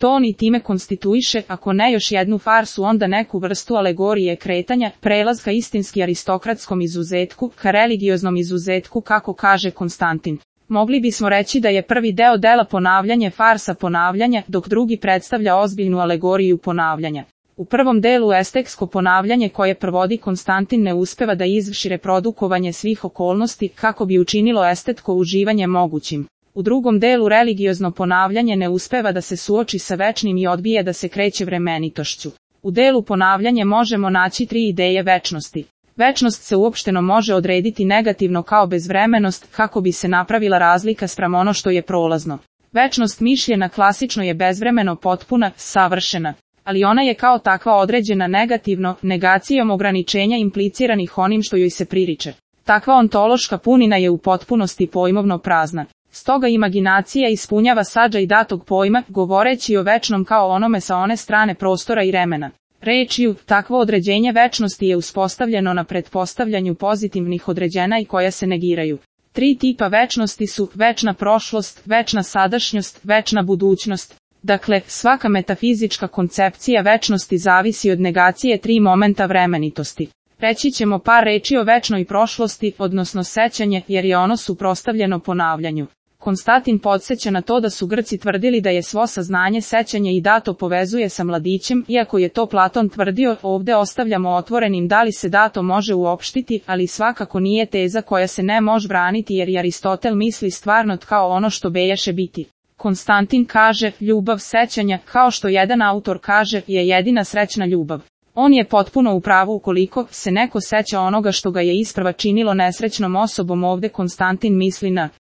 ton i time konstituiše, ako ne još jednu farsu, onda neku vrstu alegorije kretanja, prelaz ka istinski aristokratskom izuzetku, ka religioznom izuzetku, kako kaže Konstantin. Mogli bismo reći da je prvi deo dela ponavljanje farsa ponavljanja, dok drugi predstavlja ozbiljnu alegoriju ponavljanja. U prvom delu estetsko ponavljanje koje provodi Konstantin ne uspeva da izvrši reprodukovanje svih okolnosti kako bi učinilo estetsko uživanje mogućim. U drugom delu religiozno ponavljanje ne uspeva da se suoči sa večnim i odbije da se kreće vremenitošću. U delu ponavljanje možemo naći tri ideje večnosti. Večnost se uopšteno može odrediti negativno kao bezvremenost, kako bi se napravila razlika spram ono što je prolazno. Večnost mišljena klasično je bezvremeno potpuna, savršena, ali ona je kao takva određena negativno, negacijom ograničenja impliciranih onim što joj se pririče. Takva ontološka punina je u potpunosti pojmovno prazna. Stoga imaginacija ispunjava sadržaj datog pojma, govoreći o večnom kao onome sa one strane prostora i vremena. Rečju, takvo određenje večnosti je uspostavljeno na pretpostavljanju pozitivnih određena i koja se negiraju. Tri tipa večnosti su večna prošlost, večna sadašnjost, večna budućnost. Dakle, svaka metafizička koncepcija večnosti zavisi od negacije tri momenta vremenitosti. Reći ćemo par reči o večnoj prošlosti, odnosno sećanje, jer je ono suprotstavljeno ponavljanju. Konstantin podsjeća na to da su Grci tvrdili da je svo saznanje sećanje i dato povezuje sa mladićem, iako je to Platon tvrdio, ovde ostavljamo otvorenim da li se dato može uopštiti, ali svakako nije teza koja se ne može braniti jer i Aristotel misli stvarno kao ono što bejaše biti. Konstantin kaže, ljubav sećanja, kao što jedan autor kaže, je jedina srećna ljubav. On je potpuno u pravu ukoliko se neko seća onoga što ga je isprva činilo nesrećnom osobom, ovde Konstantin misli na